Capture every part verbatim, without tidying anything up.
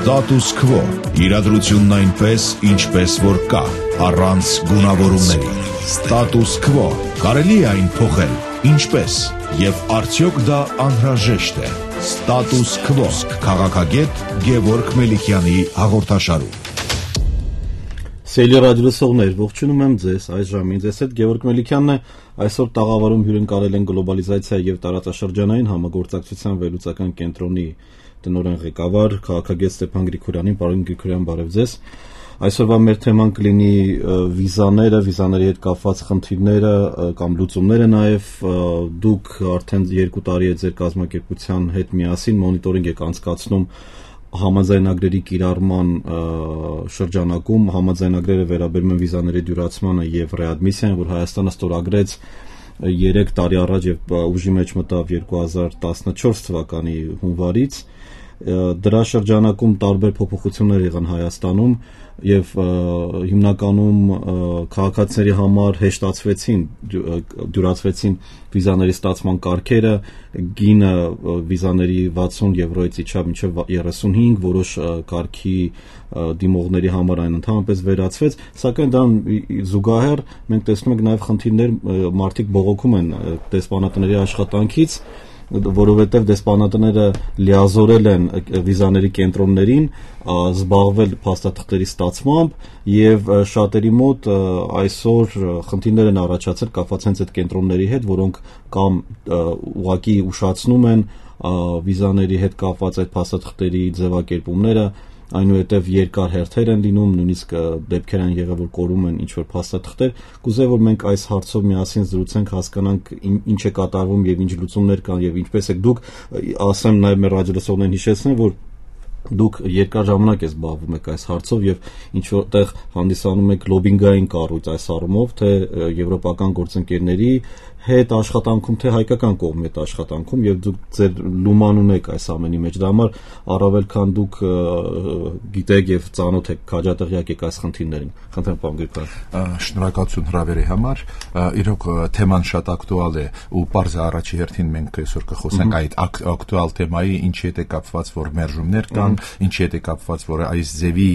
Status quo. Իրադրությունն այնպես, ինչպես որ կա, առանց գունավորումների։ Status quo. Կարելի է այն փոխել, ինչպես, եւ արդյոք դա անհրաժեշտ է։ Status quo. Քաղաքագետ Գևորգ Մելիքյանի հաղորդաշարում։ Սիրելի ռադիոլսողներ, ողջունում եմ ձեզ այս ժամին։ Ձեզ հետ Գևորգ Մելիքյանն է։ Այսօր տաղավարում հյուրընկալել են գլոբալիզացիա եւ տարածաշրջանային համագործակցության վերլուծական կենտրոնի տնօրեն ղեկավար քաղաքագետ Ստեփան Գրիգորյանին։ Պարոն Գրիգորյան, բարև ձեզ։ Այսօրվա մեր թեման կլինի վիզաները, վիզաների հետ կապված խնդիրները կամ լուծումները նաև դուք արդեն երկու տարի է ձեր կազմակերպության հետ միասին մոնիտորինգ եք անցկացնում համաձայնագրերի կիրառման շրջանակում։ Համաձայնագրերը վերաբերում են վիզաների դյուրացմանը եւ ռեադմիսիային, որ Հայաստանը ստորագրեց երեք տարի առաջ եւ ուժի մեջ մտավ երկու հազար տասնչորս թվականի հունվարից։ Դրա շրջանակում տարբեր փոփոխություններ եղան Հայաստանում եւ հիմնականում քաղաքացիների համար հեշտացվեցին, դյուրացվեցին վիզաների ստացման կարգերը, գինը վիզաների վաթսուն եվրոից իջավ մինչև երեսունհինգ, որոշ կարգի դիմողների համար այն ընդհանրապես վերացվեց, սակայն դրան զուգահեռ մենք տեսնում ենք նաև խնդիրներ, մարդիկ բողոքում են դեսպանատների աշխատանքից, որովհետև դեսպանատները լիազորել են վիզաների կենտրոններին զբաղվել փաստաթղթերի ստացմամբ եւ շատերի մոտ այսօր խնդիրներ են առաջացել կապված հենց այդ կենտրոնների հետ, որոնք կամ ուղղակի ուշացնում են վիզաների հետ կապված այդ փաստաթղթերի ձևակերպումները, այնուհետև երկար հերթեր են լինում, նույնիսկ դեպքեր են եղել, որ կորում են ինչ-որ փաստաթղթեր։ Կուզեի, որ մենք այս հարցով միասին զրուցենք, հասկանանք ինչ է կատարվում եւ ինչ լուծումներ կան եւ ինչպես եք դուք, ասեմ նաեւ մեր ռադիոլսողներին հիշեցնեմ, որ դուք երկար ժամանակ եք զբաղվում եք այս հարցով եւ ինչ որտեղ հանդիսանում եք լոբինգային կառույց այս առումով, թե եվրոպական գործընկերների հետ աշխատանքում, թե հայկական կողմի հետ աշխատանքում եւ դուք ձեր լուման ունեք այս ամենի մեջ։ Դա համար առավել քան դուք գիտեք եւ ծանոթ եք, քաջատեղյակ եք այս խնդիրներին։ Խնդրեմ, պարոն Գրիգորյան։ Շնորհակալություն հրավերի համար։ Իրոք թեման շատ ակտուալ է ու պարզ է առաջի հերթին մենք այսօր կխոսենք այդ ակտուալ թեմայի, ինչի հետ է կապված, որ մերժումներ կան, ինչի հետ է կապված, որ այս ձևի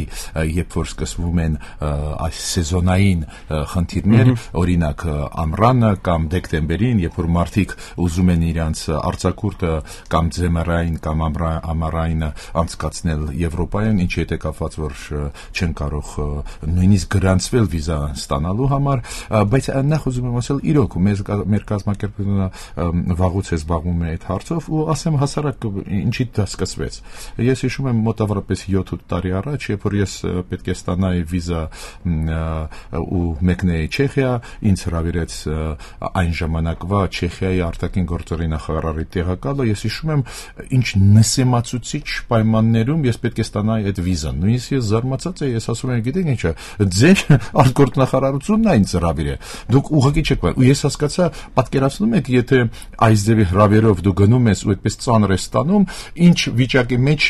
երբ որ սկսվում են այս սեզոնային խնդիրներ, օրինակ ամռանը կամ դեկտեմբերին, երբ որ մարդիկ ուզում են իրանց արձակուրդը կամ ձմեռային կամ ամառային անցկացնել Եվրոպայում, ինչի հետ է կապված, որ չեն կարող նույնիսկ գրանցվել վիզա ստանալու համար, բայց նախ ուզում եմ ասել, իրոք մեր կազմակերպությունը վաղուց է զբաղվում է այդ հարցով ու ասեմ հասարակ ինչի դա սկսվեց։ Ես հիշում եմ մոտավորապես յոթ տարի առաջ, երբ որ ես պետք է ստանայի վիզա ու մեկնեի Չեխիա, ինձ հրավիրեց այն ժամանակվա Չեխիայի արտաքին գործերի նախարարի տեղակալը, ես հիշում եմ ինչ նսեմացուցիչ պայմաններում ես պետք է ստանայի այդ վիզան։ Նույնիսկ ես զարմացած եմ, ես ասում եմ, գիտեք ինչ է, ձեր արտգործնախարարությունն է ինձ հրավիրել։ Դուք ուղղակի չեք ու ես հասկացա, պատկերացնում եք, եթե այս ձևի հրավերով դու գնում ես ու այդպես ծանր ես ստանում, ինչ վիճակի մեջ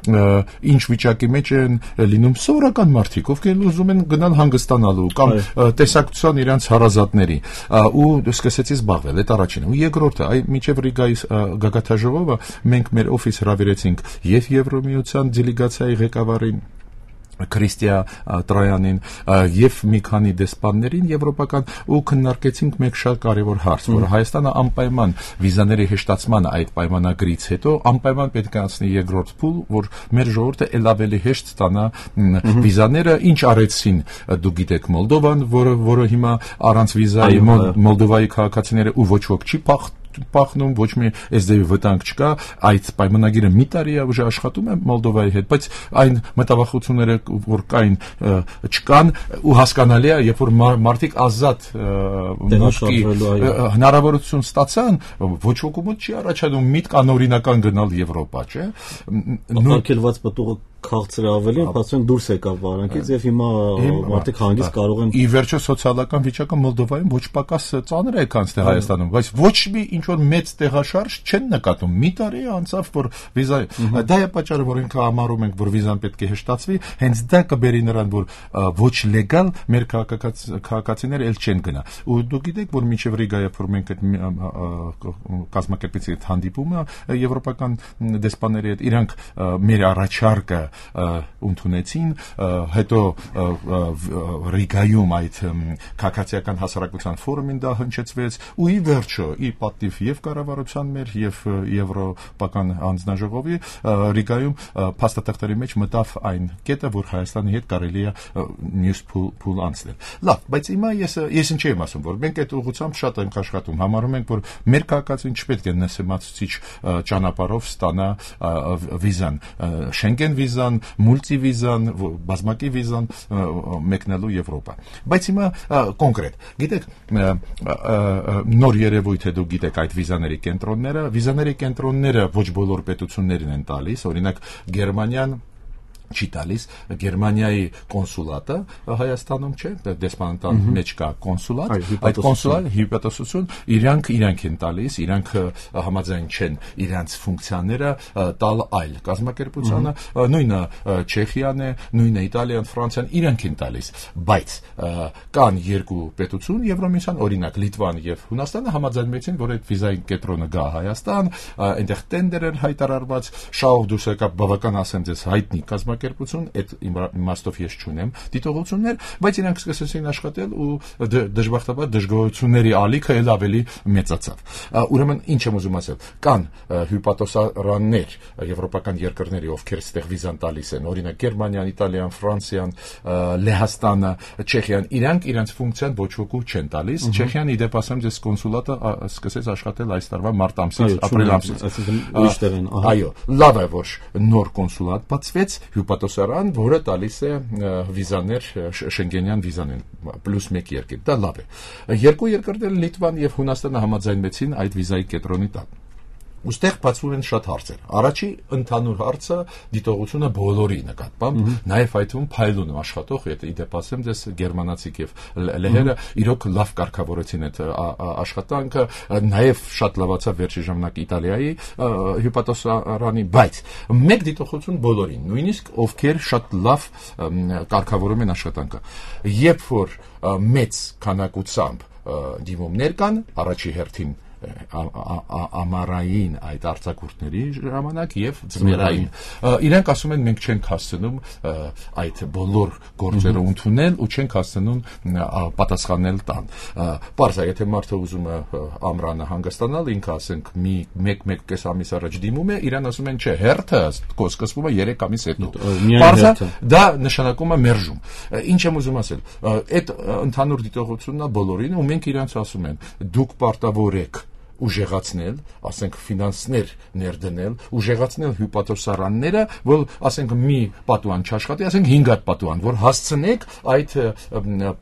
ինչ վիճակի մեջ են լինում սովորական մարդիկ, ովքեր ուզում են գնալ հանգստանալու կամ տեսակցության իրանց հարազատների ու սկսեցի զբաղվել, այդ առաջինը։ Ու երկրորդը, այ մինչև Ռիգայի գագաթաժողովը մենք մեր օֆիս հրավիրեցինք եւ Եվրոմիության դելեգացիայի ղեկավարին Քրիստիա Տրոյանին եւ մի քանի դեսպաններին եվրոպական ու քննարկեցինք մեկ շատ կարեւոր հարց, որը Հայաստանը անպայման վիզաների հեշտացման այդ պայմանագրից հետո անպայման պետք է անցնի երկրորդ փուլ, որ մեր ժողովուրդը ել ավելի հեշտ ստանա վիզաները, ինչ արեցին դուք գիտեք Մոլդովան, որը որը հիմա առանց վիզայի Մոլդովայի քաղաքացիները ու ոչ ոք չի փախ պախնում, ոչ մի էսդեվի վտանգ չկա, այդ պայմանագիրը մի տարի է ուժ աշխատում է Մոլդովայի հետ, բայց այն մտավախությունները, որ կային, չկան ու հասկանալի է, երբ որ մարդիկ ազատ հնարավորություն ստացան, ոչ ոքի մոտ չի առաջանում միտք անօրինական գնալ Եվրոպա, չէ։ Ակնկալված պտուղը քաղցր ավելի, բացեն դուրս եկավ վարանքից եւ հիմա մարդիկ հանգիստ կարող են։ Ի վերջո սոցիալական վիճակը Մոլդովայում ոչ պակաս ծանր է քան թե Հայաստանում, բայց ոչ մի ինչ որ մեծ տեղաշարժ չեն նկատում։ Մի տարի անցավ, որ վիզա դա է պատճառը, որ ինքը համարում ենք, որ վիզան պետք է հեշտացվի, հենց դա կբերի նրան, որ ոչ լեգալ մեր քաղաքացիները ել չեն գնա։ Ու դուք գիտեք, որ մինչև Ռիգայը որ մենք այդ կազմակերպեցի այդ հանդիպումը եվրոպական դեսպանների հետ, իրանք մեր առաջարկը ընդունեցին, հետո Ռիգայում այդ քաղաքացիական հասարակության ֆորումին դա հնչեցվեց, ու ի վերջո ի պատիվ եւ կառավարության մեր եւ եվրոպական հանձնաժողովի Ռիգայում փաստաթղթերի մեջ մտավ այն կետը, որ Հայաստանի հետ կարելի է մյուս փուլ անցնել։ Լավ, բայց հիմա ես ես ինչ եմ ասում, որ մենք այդ ուղղությամբ շատ ենք աշխատում, համարում ենք, որ մեր քաղաքացին չպետք է նսեմացուցիչ ճանապարհով ստանա վիզան, Շենգեն վիզան, մուլտի վիզան, բազմակի վիզան մեկնելու Եվրոպա։ Բայց հիմա կոնկրետ, գիտեք, նոր երևույթ է, դուք գիտեք այդ վիզաների կենտրոնները, վիզաների կենտրոնները ոչ բոլոր պետություններին են տալիս, օրինակ Գերմանիան չի տալիս, Գերմանիայի կոնսուլատը Հայաստանում չէ, դեսպանատան մեջ կա կոնսուլատ, այդ կոնսուլատ հյուպատոսություն իրանք իրանք են տալիս, իրանք համաձայն չեն իրանց ֆունկցիաները տալ այլ կազմակերպությանը, նույնը Չեխիան է, նույնը Իտալիան, Ֆրանսիան, իրանք են տալիս, բայց կան երկու պետություն Եվրոմիսիան, օրինակ Լիտվան եւ Հունաստանը համաձայնեցին, որ այդ վիզայի կենտրոնը գա Հայաստան, այնտեղ տենդեր են հայտարարված, շահով դուրս եկավ բավական ասեմ ձեզ հայտնի կազմակերպություն, այդ իմաստով ես չունեմ դիտողություններ, բայց իրանք սկսեցին աշխատել ու դժբախտաբար դժգոհությունների ալիքը ել ավելի մեծացավ։ Ուրեմն ինչ եմ ուզում ասել, կան հյուպատոսարաններ եվրոպական երկրների, ովքեր ստեղ վիզան տալիս են, օրինակ Գերմանիան, Իտալիան, Ֆրանսիան, Լեհաստանը, Չեխիան, իրանք իրանց ֆունկցիան ոչ ոքի չեն տալիս։ Չեխիան իդեպ ասեմ ձեզ կոնսուլատը սկսեց աշխատել այս տարվա մարտ ամսից, ապրիլ ամսից։ Այո, լավ է, որ նոր կոնսուլատ բացվեց, հյուպատոսարան, որը տալիս է վիզաներ, շենգենյան վիզաներ, պլյուս մեկ երկիր, դա լավ է։ Երկու երկրներ Լիտվան եւ Հունաստանը համաձայնվեցին այդ վիզայի կենտրոնի տակ։ Ուստեղ բացվում են շատ հարցեր։ Առաջի ընդհանուր հարցը դիտողությունը բոլորի նկատմամբ, նաև այդ թվում փայլուն աշխատող, եթե իդեպ ասեմ ձեզ գերմանացիք եւ լեհերը իրոք լավ կարգավորեցին այդ աշխատանքը, նաև շատ լավացավ վերջի ժամանակ Իտալիայի հյուպատոսարանի, բայց մեկ դիտողություն բոլորին, նույնիսկ ովքեր շատ լավ կարգավորում են աշխատանքը։ Երբ որ մեծ քանակությամբ դիմումներ կան, առաջի հերթին ամառային այդ արձակուրդների ժամանակ եւ ձմեռային իրենք ասում են մենք չենք հասցնում այդ բոլոր գործերը ընդունել ու չենք հասցնում պատասխանել տան։ Պարզ է, եթե մարդը ուզում է ամռանը հանգստանալ, ինքը ասենք մի մեկ-մեկ կես ամիս առաջ դիմում է, իրան ասում են չէ, հերթը սկսվում է երեք ամիս հետո։ Պարզ է, դա նշանակում է մերժում։ Ինչ եմ ուզում ասել, այդ ընդհանուր դիտողությունն է բոլորին ու մենք իրանց ասում են դուք պարտավոր եք ուժեղացնել, ասենք ֆինանսներ ներդնել, ուժեղացնել հյուպատոսարանները, որ ասենք մի պատուհան չաշխատի, ասենք հինգ հատ պատուհան, որ հասցնեք այդ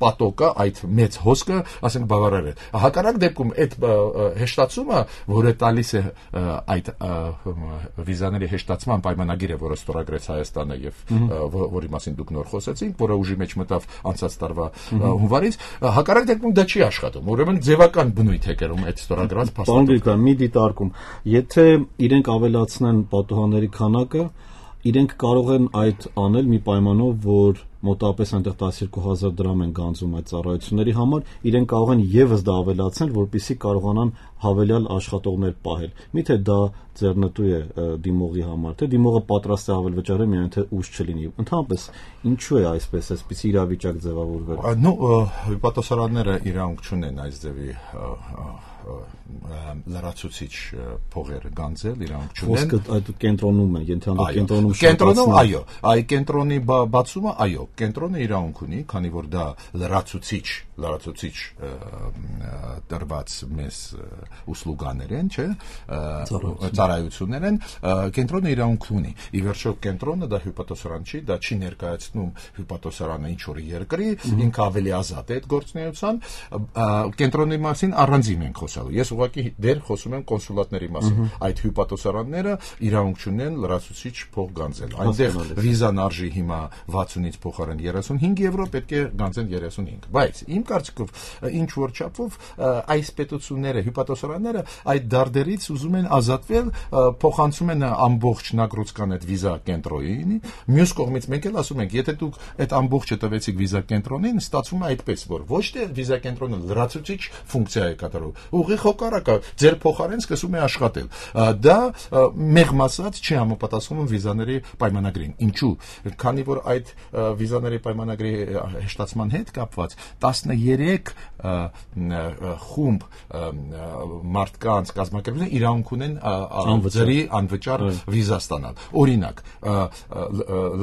պատոկը, այդ մեծ հոսքը, ասենք բավարարել։ Հակառակ դեպքում այդ հեշտացումը, որը տալիս է այդ վիզաների հեշտացման պայմանագիրը, որը ստորագրեց Հայաստանը եւ որի մասին դուք նոր խոսեցիք, որը ուժի մեջ մտավ անցած տարվա հունվարից, հակառակ դեպքում դա չի աշխատում։ Ուրեմն ձևական բնույթ է կրում այդ ստորագրած Պարոն Գրիգորյան, մի դիտարկում, եթե իրենք ավելացնեն պատուհանների քանակը, իրենք կարող են այդ անել մի պայմանով, որ մոտավորապես այնտեղ տասներկու հազար դրամ են գանձում այդ ծառայությունների համար, իրենք կարող են եւս դա ավելացնել, որպեսզի կարողանան հավելյալ աշխատողներ պահել։ Միթե դա ձեռնտու է դիմողի համար, թե դիմողը պատրաստ է ավել վճարել, միայն թե ուժ չլինի։ Ընդհանրապես, ինչու է այսպես, այսպիսի իրավիճակ ձևավորվել։ Նո, հյուպատոսարանները իրանք չունեն այս ձևի լրացուցիչ փողեր գանձել, իրանք չունեն։ Խոսքը այդ կենտրոնում է, ենթադրում կենտրոնում կենտրոնում, այո, այ կենտրոնի բացումը, այո, կենտրոնը իրանք ունի, քանի որ դա լրացուցիչ, լրացուցիչ տրված մեզ ուսլուգաներ են, չէ, ծառայություններ են, կենտրոնը իրանք ունի։ Ի վերջո կենտրոնը դա հյուպատոսարան չի, դա չի ներկայացնում հյուպատոսարանը ինչ որ երկրի, ինքը ավելի ազատ է այդ գործունեության, կենտրոնի մասին առանձին ենք խոսալու։ Ես ուղղակի դեր խոսում եմ կոնսուլատների մասին։ Այդ հյուպատոսարանները իրանք չունեն լրացուցիչ փող գանձել։ Այնտեղ վիզան արժի հիմա վաթսունից փոխարեն երեսունհինգ եվրո, պետք է գանձեն երեսունհինգ։ Բայց իմ կարծիքով ինչ որ չափով այս պետությունները, հյուպատոսարանները այդ դարդերից ուզում են ազատվել, փոխանցում են ամբողջ նագրոցկան այդ վիզա կենտրոնին։ Մյուս կողմից մենք էլ ասում ենք, եթե դուք այդ ամբողջը տվեցիք վիզա կենտրոնին, ստացվում է այդպես, որ ոչ թե վիզա կենտրոնը լրացուցիչ ֆունկցիա է կատարում, ուղիղ հակառակը, ձեր փոխարեն սկսում է աշխատել։ Դա մեղմ ասած չի համապատասխանում վիզաների պայմանագրին։ Ինչու՞։ Քանի որ այդ վիզաների պայմանագրի հեշտացման հետ կապված տասներեք խումբ մարդկանց կազմակերպություններ իրավունք ունեն ձերի անվճար վիզա ստանալ։ Օրինակ,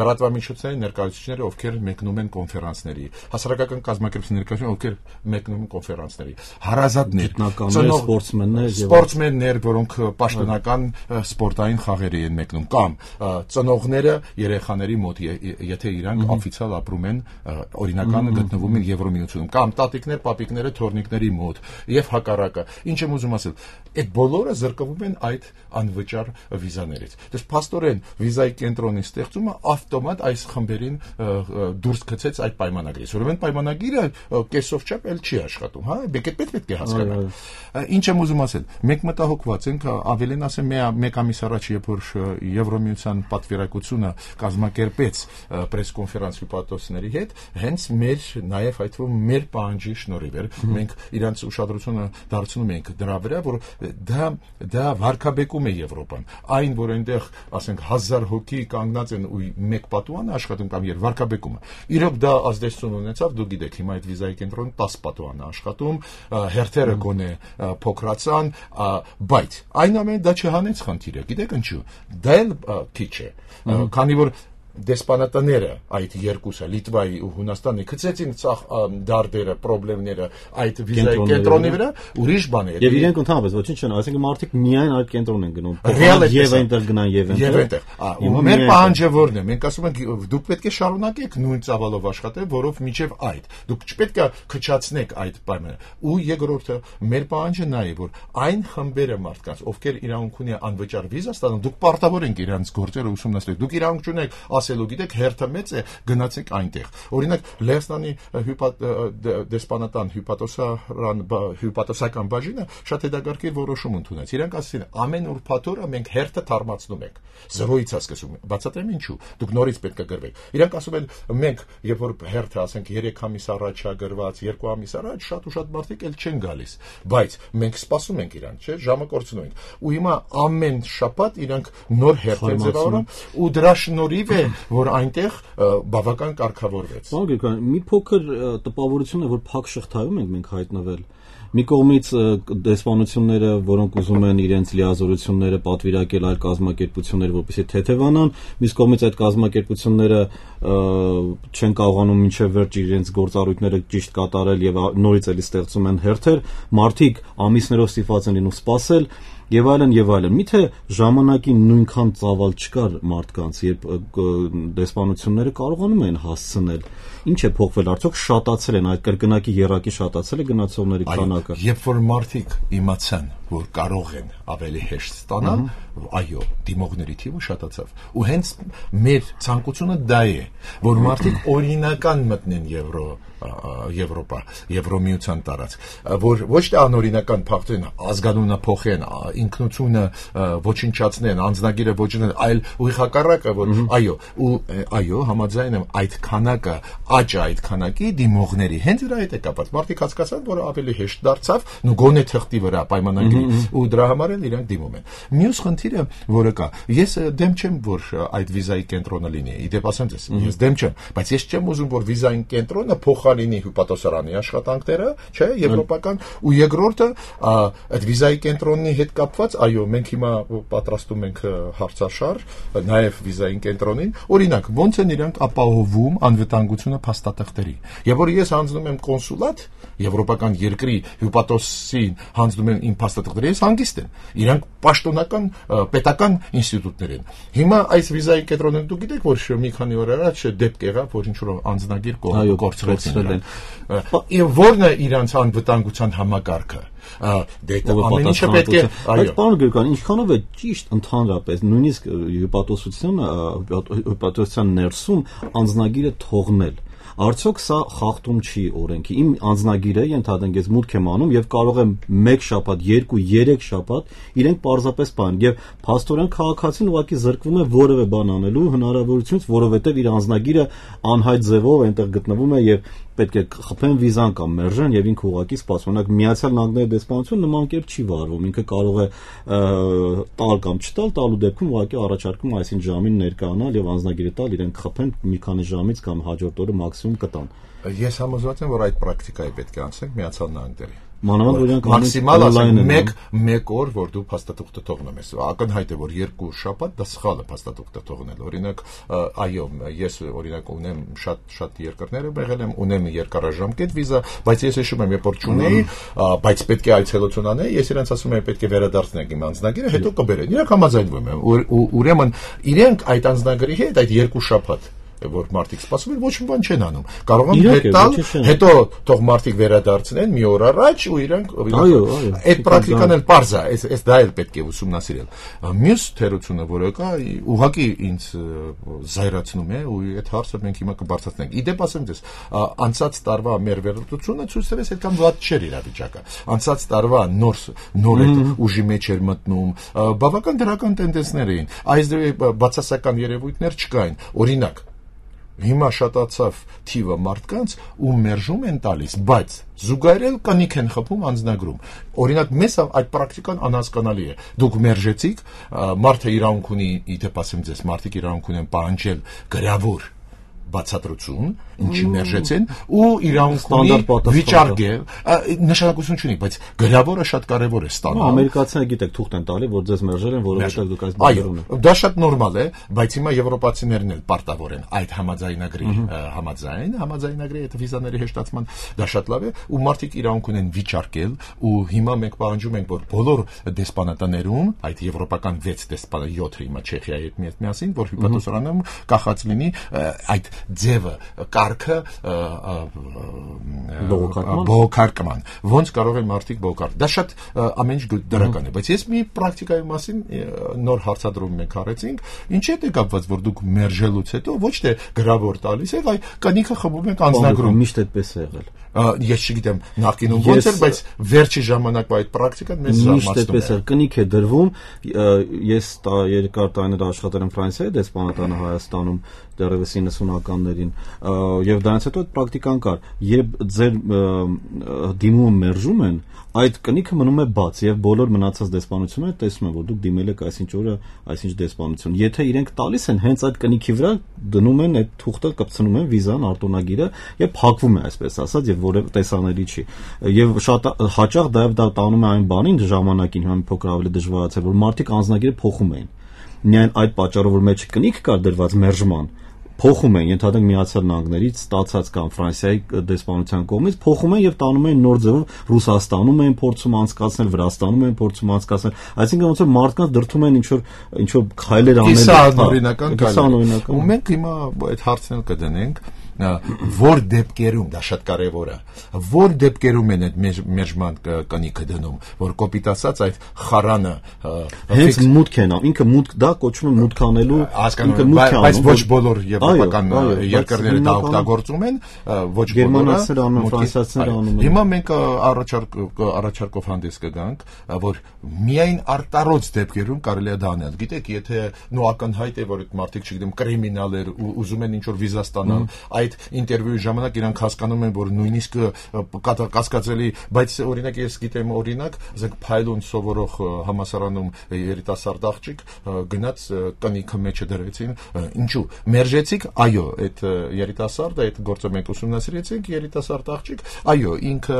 լրատվամիջոցների ներկայացուցիչները, ովքեր մեկնում են կոնֆերանսների, հասարակական կազմակերպությունների, ովքեր մեկնում են կոնֆերանսների, հարազատներ, սպորտսմեններ, սպորտսմեններ, որոնք պաշտոնական սպորտային խաղերի են մեկնում, կամ ծնողները երեխաների մոտ, եթե իրանք օֆիցիալ ապրում են, օրինական գտնվում են Եվրոմիությունում, կամ տատիկներ, պապիկները թորնիկների մոտ եւ հակառակը։ Ինչ եմ ուզում ասել, այդ բոլորը զրկվում են այդ անվճար վիզաներից։ Դες փաստորեն վիզայի կենտրոնի ստեղծումը ավտոմատ այս խմբերին դուրս գցեց այդ պայմանագրից։ Ուրեմն պայմանագիրը կեսով չափ էլ չի աշխատում, հա, պետք պետք է հասկանալ։ Ինչ եմ ուզում ասել, մենք մտահոգված ենք, ավելին ասեմ, մեկ ամիս առաջ, երբ որ Եվրոմիության պատվիրակությունը կազմակերպեց պրեսկոնֆերանս հյուպատոսների հետ, հենց մեր նաև այդ որ մեր պահանջի շնորհիվ էր, մենք իրանց ուշադրությունը դարձնում ենք դրա վրա, որ դա դա վարկաբեկում է Եվրոպան։ Այն, որ այնտեղ, ասենք, հազար հոգի կանգնած են ու մեկ պատուհան աշխատում կամ եր վարկաբեկումը։ Իրոք դա ազդեցություն ունեցավ, դու գիտեք, հիմա այդ վիզայի կենտրոնը տասը պատուհան է աշխատում, հերթերը գոնե փոքրացան, բայց այն ամենը դա չհանեց խնդիրը։ Գիտեք ինչու։ Դա էլ քիչ է, քանի որ դեսպանատները այդ երկուսը Լիտվայի ու Հունաստանի գցեցին ցախ դարդերը, խնդիրները այդ վիզայի կենտրոնի վրա, ուրիշ բան է։ Եվ իրենք ընդհանրապես ոչինչ չեն, այսինքն մարդիկ միայն այդ կենտրոն են գնում։ Եվ այնտեղ գնան եւ այնտեղ։ Ու մեր պահանջը որն է։ Մենք ասում ենք դուք պետք է շարունակեք նույն ծավալով աշխատել, որով միջև այդ։ Դուք չպետք է քչացնեք այդ պայմանը։ Ու երկրորդը մեր պահանջը նա է, որ այն խմբերը մարդկանց, ովքեր իրավունք ունեն անվճար վիզա ստանալ, դուք պարտավոր եք իրանց գործերը ուսումնասիրել։ Դուք իրավունք չունեք ասելու, գիտեք, հերթը մեծ է, գնացեք այնտեղ։ Օրինակ, Լեհաստանի դեսպանատան հյուպատոսարան հյուպատոսական բաժինը շատ հետաքրքիր որոշում ընդունեց։ Իրանք ասեցին, ամեն ուրբաթ օրը մենք հերթը թարմացնում ենք։ Զրոյից է սկսում։ Բացատրեմ ինչու։ Դուք նորից պետք է գրվեք։ Իրանք ասում են, մենք, երբ որ հերթը, ասենք, երեք ամիս առաջ է գրված, երկու ամիս առաջ, շատ ու շատ մարդիկ էլ չեն գալիս։ Բայց մենք սպասում ենք իրանք, չէ՞, ժամը կորցնում ենք։ Ու հիմա ամեն շաբաթ իրանք նոր հերթ են ձևավորում ու դրա շնորհիվ է, որ այնտեղ բավական կարգավորվեց։ Պարոն Գրիգորյան, մի փոքր տպավորություն է, որ փակ շղթայում ենք մենք հայտնվել։ Մի կողմից դեսպանությունները, որոնք ուզում են իրենց լիազորությունները պատվիրակել այլ կազմակերպություններ, որպեսզի թեթևանան, մյուս կողմից այդ կազմակերպությունները չեն կարողանում մինչև վերջ իրենց գործառույթները ճիշտ կատարել եւ նորից էլի ստեղծում են հերթեր, մարդիկ ամիսներով ստիպված են լինում սպասել եւ այլն եւ այլն։ Միթե ժամանակին նույնքան ծավալ չկար մարդկանց, երբ դեսպանությունները կարողանում են հասցնել։ Ինչ է փոխվել, արդյոք շատացել են այդ կրկնակի երակի շատացել է գնացողների քանակը։ Երբ որ մարդիկ իմացան, որ կարող են ավելի հեշտ ստանալ, այո, դիմողների թիվը շատացավ։ Ու հենց մեր ցանկությունը դա է, որ մարդիկ օրինական մտնեն Եվրո Եվրոպա, Եվրոմիության տարածք, որ ոչ թե անօրինական փոխեն, ազգանունը փոխեն, ինքնությունը ոչնչացնեն, անձնագիրը ոչնչացնեն, այլ ուղիղ հակառակը, որ այո, ու այո, համաձայն եմ, այդ քանակը, աճը այդ քանակի դիմողների հենց դրա հետ է կապված։ Մարդիկ հասկացան, որ ավելի հեշտ դարձավ, ու գոնե թղթի վրա պայմանագրի, ու դրա համար էլ իրանք դիմում են։ Մյուս խնդիրը, որը կա, ես դեմ չեմ, որ այդ վիզայի կենտրոնը լինի։ Իդեպ ասեմ ձեզ, ես դեմ չեմ, բայց ես չեմ ուզում, որ վիզայի կենտրոնը փոխարինի հյուպատոսարանի աշխատանքները, չէ, եվրոպական, ու երկրորդը այդ վիզայի կենտրոնի հետ կապված, այո, մենք հիմա պատրաստում ենք հարցաշար, նաև վիզայի կենտրոնին, օրինակ, ոնց են իրանք ապահովում անվտանգությունը փաստաթղթերի։ Եվ որ ես հանձնում եմ կոնսուլատ, եվրոպական երկրի հյուպատոսին հանձնում են իմ փաստաթղթերը, ես հանգիստ եմ։ Իրանք պաշտոնական պետական ինստիտուտներ են։ Հիմա այս վիզայի կենտրոնը դուք գիտեք, որ մի քանի օր առաջ դեպք եղավ, որ ինչ-որ անձնագիր կորցրեցին։ Եվ ո՞րն է իրանց անվտանգության համակարգը։ Դե ամեն ինչը պետք է, այո։ Պարոն Գրիգորյան, ինչքանով է ճիշտ ընդհանրապես նույնիսկ հյուպատոսությունը, հյուպատոսության ներսում անձնագիրը թողնել։ Արդյոք սա խախտում չի օրենքի։ Իմ անձնագիրը ենթադրենք ես մուտք եմ անում եւ կարող եմ մեկ շաբաթ, երկու, երեք շաբաթ իրենք պարզապես բան եւ փաստորեն քաղաքացին ուղղակի զրկվում է որևէ բան անելու հնարավորությունից, որովհետեւ իր անձնագիրը անհայտ ձևով այնտեղ գտնվում է եւ պետք է խփեն վիզան կամ մերժեն եւ ինքը ուղղակի սպասում։ Օրինակ Միացյալ Նահանգների դեսպանությունը նման կերպ չի վարվում, ինքը կարող է տալ կամ չտալ, տալու դեպքում ուղղակի առաջարկում այսին ժամին ներկայանալ եւ անձնագիրը տալ, իրենք խփեն մի քանի ժամից կամ հաջորդ օրը մաքսիմում կտան։ Ես համոզված եմ, որ այդ պրակտիկայի պետք է անցնենք Միացյալ Նահանգների։ Մանավանդ որ իրանք մաքսիմալ ասենք մեկ մեկ օր, որ դու փաստաթուղթը թողնում ես։ Ակնհայտ է, որ երկու շաբաթ դա սխալ է փաստաթուղթը թողնել։ Օրինակ, այո, ես օրինակ ունեմ շատ շատ երկրներ եմ եղել եմ, ունեմ երկարաժամկետ վիզա, բայց ես հիշում եմ, երբ որ չունեի, բայց պետք է այցելություն անեի, ես իրենց ասում եմ, պետք է վերադարձնենք իմ անձնագիրը, հետո կբերեն։ Իրանք համաձայնվում են։ Ուրեմն իրենք այդ անձնագրի հետ այդ երկու շաբաթ որ մարդիկ սպասում են, ոչ մի բան չեն անում։ Կարող են հետալ, հետո թող մարդիկ վերադարձնեն մի օր առաջ ու իրանք այդ պրակտիկան էլ պարզ է, այս դա էլ պետք է ուսումնասիրել։ Մյուս թերությունը, որը կա, ուղղակի ինձ զայրացնում է ու այդ հարցը մենք հիմա կբարձրացնենք։ Իդեպ ասեմ ձեզ, անցած տարվա մեր վերլուծությունը ցույց տվեց այդքան վատ չէր իրավիճակը։ Անցած տարվա նոր նոր այդ ուժի մեջ էր մտնում, բավական դրական տենդենսներ էին։ Այս բացասական երևույթներ չկային։ Օրինակ հիմա շատացավ թիվը մարդկանց, ու մերժում են տալիս, բայց զուգահեռ կնիք են խփում անձնագրում։ Օրինակ մեզ այդ պրակտիկան անհասկանալի է։ Դուք մերժեցիք, մարդը իրավունք ունի, իդեպ ասեմ ձեզ, մարդիկ իրավունք ունեն պահանջել գրավոր բացատրություն, ինչի մերժեցին, ու իրավունք ունի վիճարկել, նշանակություն չունի, բայց գրավորը շատ կարևոր է ստանալ։ Ամերիկացիները գիտեք թուղթ են տալի, որ ձեզ մերժել են, որովհետև դուք այս բաներում եք։ Այո, դա շատ նորմալ է, բայց հիմա եվրոպացիներն էլ պարտավոր են այդ համաձայնագրի համաձայն, համաձայնագրի այդ վիզաների հեշտացման, դա շատ լավ է, ու մարդիկ իրավունք ունեն վիճարկել, ու հիմա մենք պահանջում ենք, որ բոլոր դեսպանատներում, այդ եվրոպական վեց դեսպանա յոթը հիմա Չեխիայի հետ միասին, որ հյուպատոսարանում կախած լինի այդ ձևը կարգը բողոքարկման ոնց կարող են մարդիկ բողոքարկել դա շատ ամեն ինչ դրական է բայց ես մի պրակտիկայի մասին նոր հարցադրում մենք արեցինք ինչի՞ է կապված որ դուք մերժելուց հետո ոչ թե գրավոր տալիս եք այ կնիքը խմում եք անձնագրում միշտ այդպես է եղել ես չգիտեմ նախկինում ոնց էր բայց վերջի ժամանակվա այդ պրակտիկան մեզ զարմացնում է կնիք է դրվում ես երկար տարիներ աշխատել եմ Ֆրանսիայի դեսպանատանը Հայաստանում դեռևս իննսունականներին եւ դրանից հետո այդ պրակտիկան կար երբ ձեր դիմումը մերժում են այդ կնիքը մնում է բաց եւ բոլոր մնացած դեսպանությունները տեսնում են որ դուք դիմել եք այսինչ օրը այսինչ դեսպանություն եթե իրենք տալիս են հենց այդ կնիքի վրա դնում են այդ թուղթը կպցնում են վիզան արտոնագիրը եւ փակվում է այսպես ասած եւ որևէ տեսանելի չի եւ շատ հաճախ դա դա տանում է այն բանին ժամանակին հիմա մի փոքր ավելի դժվարացել որ մարդիկ անձնագիրը փոխում էին միայն այդ պատճառով որ մեջը կնիք կար դրված մերժման փոխում են ենթադրենք Միացյալ Նահանգներից ստացած կամ Ֆրանսիայի դեսպանության կողմից փոխում են եւ տանում են նոր ձևով Ռուսաստանում են փորձում անցկացնել Վրաստանում են փորձում անցկացնել այսինքն ոնց որ մարդկանց դրթում են ինչ որ ինչ որ քայլեր անել կիսանօրինական քայլեր ու մենք հիմա այդ հարցն էլ կդնենք որ դեպքերում դա շատ կարևոր է որ դեպքերում են այդ մերժման կնիքը դնում որ կոպիտ ասած այդ խարանը հենց մուտք են ինքը մուտք դա կոչվում է մուտք անելու ինքը մուտք է բայց ոչ բոլոր եվրոպական երկրները դա օգտագործում են ոչ գերմանացիները անում ֆրանսիացիները անում են հիմա մենք առաջարկ առաջարկով հանդես կգանք որ միայն արտարոց դեպքերում կարելի է դա անել գիտեք եթե նո ակնհայտ է որ այդ մարդիկ չգիտեմ կրիմինալներ ուզում են ինչ որ վիզա ստանալ այդ ինտերվյուի ժամանակ իրանք հասկանում են որ նույնիսկ կասկածելի բայց օրինակ ես գիտեմ օրինակ ասենք փայլուն սովորող համասարանում երիտասարդ աղջիկ գնաց տնիկը մեջը դրեցին ինչու մերժեցիք այո այդ երիտասարդը այդ գործը մենք ուսումնասիրեցինք երիտասարդ աղջիկ այո ինքը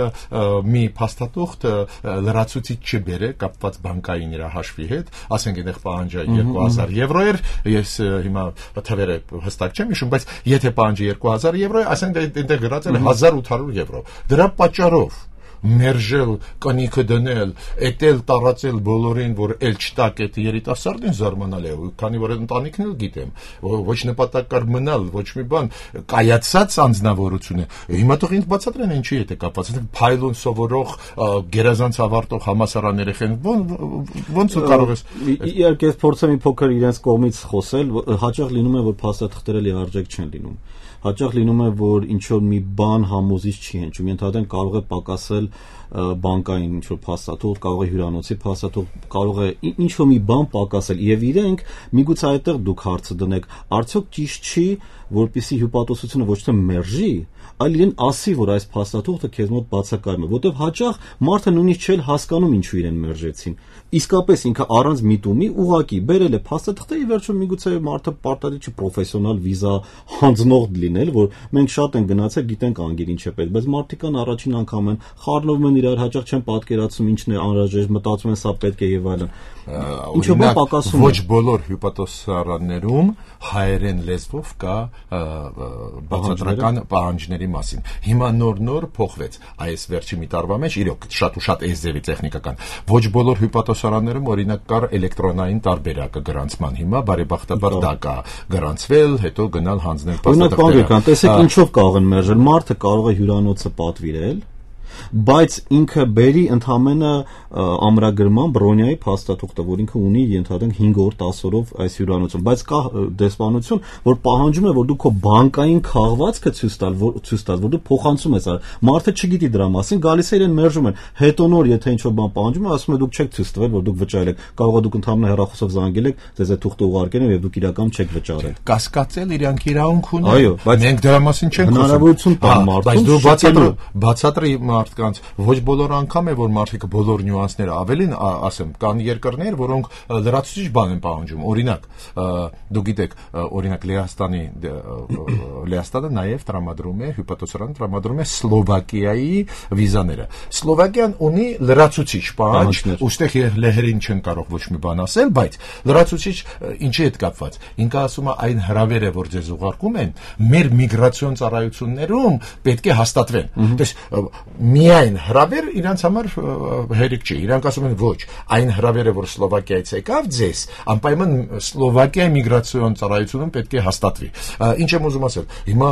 մի փաստաթուղթ լրացուցիչ չբերե կապված բանկային իր հաշվի հետ ասենք այնտեղ պահանջը երկու հազար եվրո էր ես հիմա թվերը հստակ չեմ հիշում բայց եթե պահանջը երկու հազար եվրո ասենք այնտեղ գրածել է հազար ութ հարյուր եվրո դրա պատճառով մերժել կնիքը դնել էտել տարածել բոլորին որ էլ չտակ այդ երիտասարդին զարմանալի է քանի որ ընտանիքն էլ գիտեմ ոչ նպատակար մնալ ոչ մի բան կայացած անձնավորություն է հիմա թող ինձ բացատրեն ինչի է դա կապված փայլուն սովորող գերազանց ավարտող համասարան երեխեն ոնց կարող ես իհարկե ես փորձեմ մի փոքր իրենց կողմից խոսել հաճախ լինում է որ փաստաթղթերը լիարժեք չեն լինում հաճախ լինում է որ ինչ որ մի բան համոզիչ չի հնչում ենթադրենք կարող է պակասել բանկային ինչ-որ փաստաթուղթ, կարող է հյուրանոցի փաստաթուղթ, կարող է ինչ-որ մի բան պակասել եւ իրենք միգուցե այդտեղ դուք հարցը դնեք, արդյոք ճիշտ չի, որպեսզի հյուպատոսությունը ոչ թե մերժի, այլ իրեն ասի, որ այս փաստաթուղթը քեզ մոտ բացակայում է, որտեղ հաճախ մարդը նույնիսկ չէ հասկանում ինչու իրեն մերժեցին։ Իսկապես ինքը առանց միտումի ուղակի բերել է փաստաթղթը, ի վերջո միգուցե մարդը պարտադիր չի պրոֆեսիոնալ վիզա հանձնող լինել, որ մենք շատ են գնացել, գիտենք անգիր ինչ է պետք, բայց մարդիկ կան առաջին անգամ են խառնվում են իրար, հաճախ չեն պատկերացնում ինչն է անհրաժեշտ, մտածում են սա պետք է եւ այլն։ Ինչու՞ բան պակասում է։ Ոչ բոլոր հյուպատոսարաններում հայերեն լեզվով կա բացատրական պահանջների մասին։ Հիմա նոր-նոր փոխվեց այս վերջի մի տարվա մեջ, իրոք շատ ու շատ այս ձևի տեխնիկական։ Ոչ բոլոր հյուպատոսարաններում օրինակ կար էլեկտրոնային տարբերակը գրանցման, հիմա բարեբախտաբար դա կա գրանցվել, հետո գնալ հանձնել փաստաթղթերը։ Օրինակ, տեսեք ինչով կարող են մերժել, մարդը կարող է հյուրանոցը պատվիրել, բայց ինքը բերի ընդամենը ամրագրման բրոնյայի փաստաթուղթը, որ ինքը ունի ենթադրենք հինգ օր դաս օրով այս հյուրանոցում, բայց կա դեսպանություն, որ պահանջում է, որ դու քո բանկային քաղվածքը ցույց տալ, որ ցույց տալ, որ դու փոխանցում ես, մարդը չգիտի դրա մասին, գալիս է իրեն մերժում են, հետո նոր եթե ինչ-որ բան պահանջում է, ասում է դուք չեք ցույց տվել, որ դուք վճարել եք, կարող է դուք ընդամենը հեռախոսով զանգել եք, ձեզ այդ թուղթը ուղարկել են եւ դուք իրական չեք վճարել։ Կասկածել իրանք իրավունք ունեն։ Այո, բայց մենք դրա մասին չենք խոսում։ Հնարավորություն տա մարդուն, բայց դու բացատրի, բացատրի մարդկանց, ոչ բոլոր անգամ է, որ մարդիկ բոլոր նյուանսները ավելին ասեմ, կան երկրներ, որոնք լրացուցիչ բան են պահանջում։ Օրինակ, դու գիտեք, օրինակ Լեհաստանի Լեհաստանը նաև տրամադրում է, հյուպատոսարանը տրամադրում է Սլովակիայի վիզաները։ Սլովակիան ունի լրացուցիչ պահանջ, ուստեղ լեհերին չեն կարող ոչ մի բան ասել, բայց լրացուցիչ ինչի հետ կապված։ Ինքը ասում է այն հրավերը, որ ձեզ ուղարկում են, մեր միգրացիոն ծառայություններում պետք է հաստատվեն։ Դες միայն հրավեր իրանց համար հերիք չի։ Իրանք ասում են ոչ, այն հրավերը, որ Սլովակիայից եկավ ձեզ, անպայման Սլովակիայի միգրացիոն ծառայությունում պետք է հաստատվի։ Ինչ եմ ուզում ասել։ Հիմա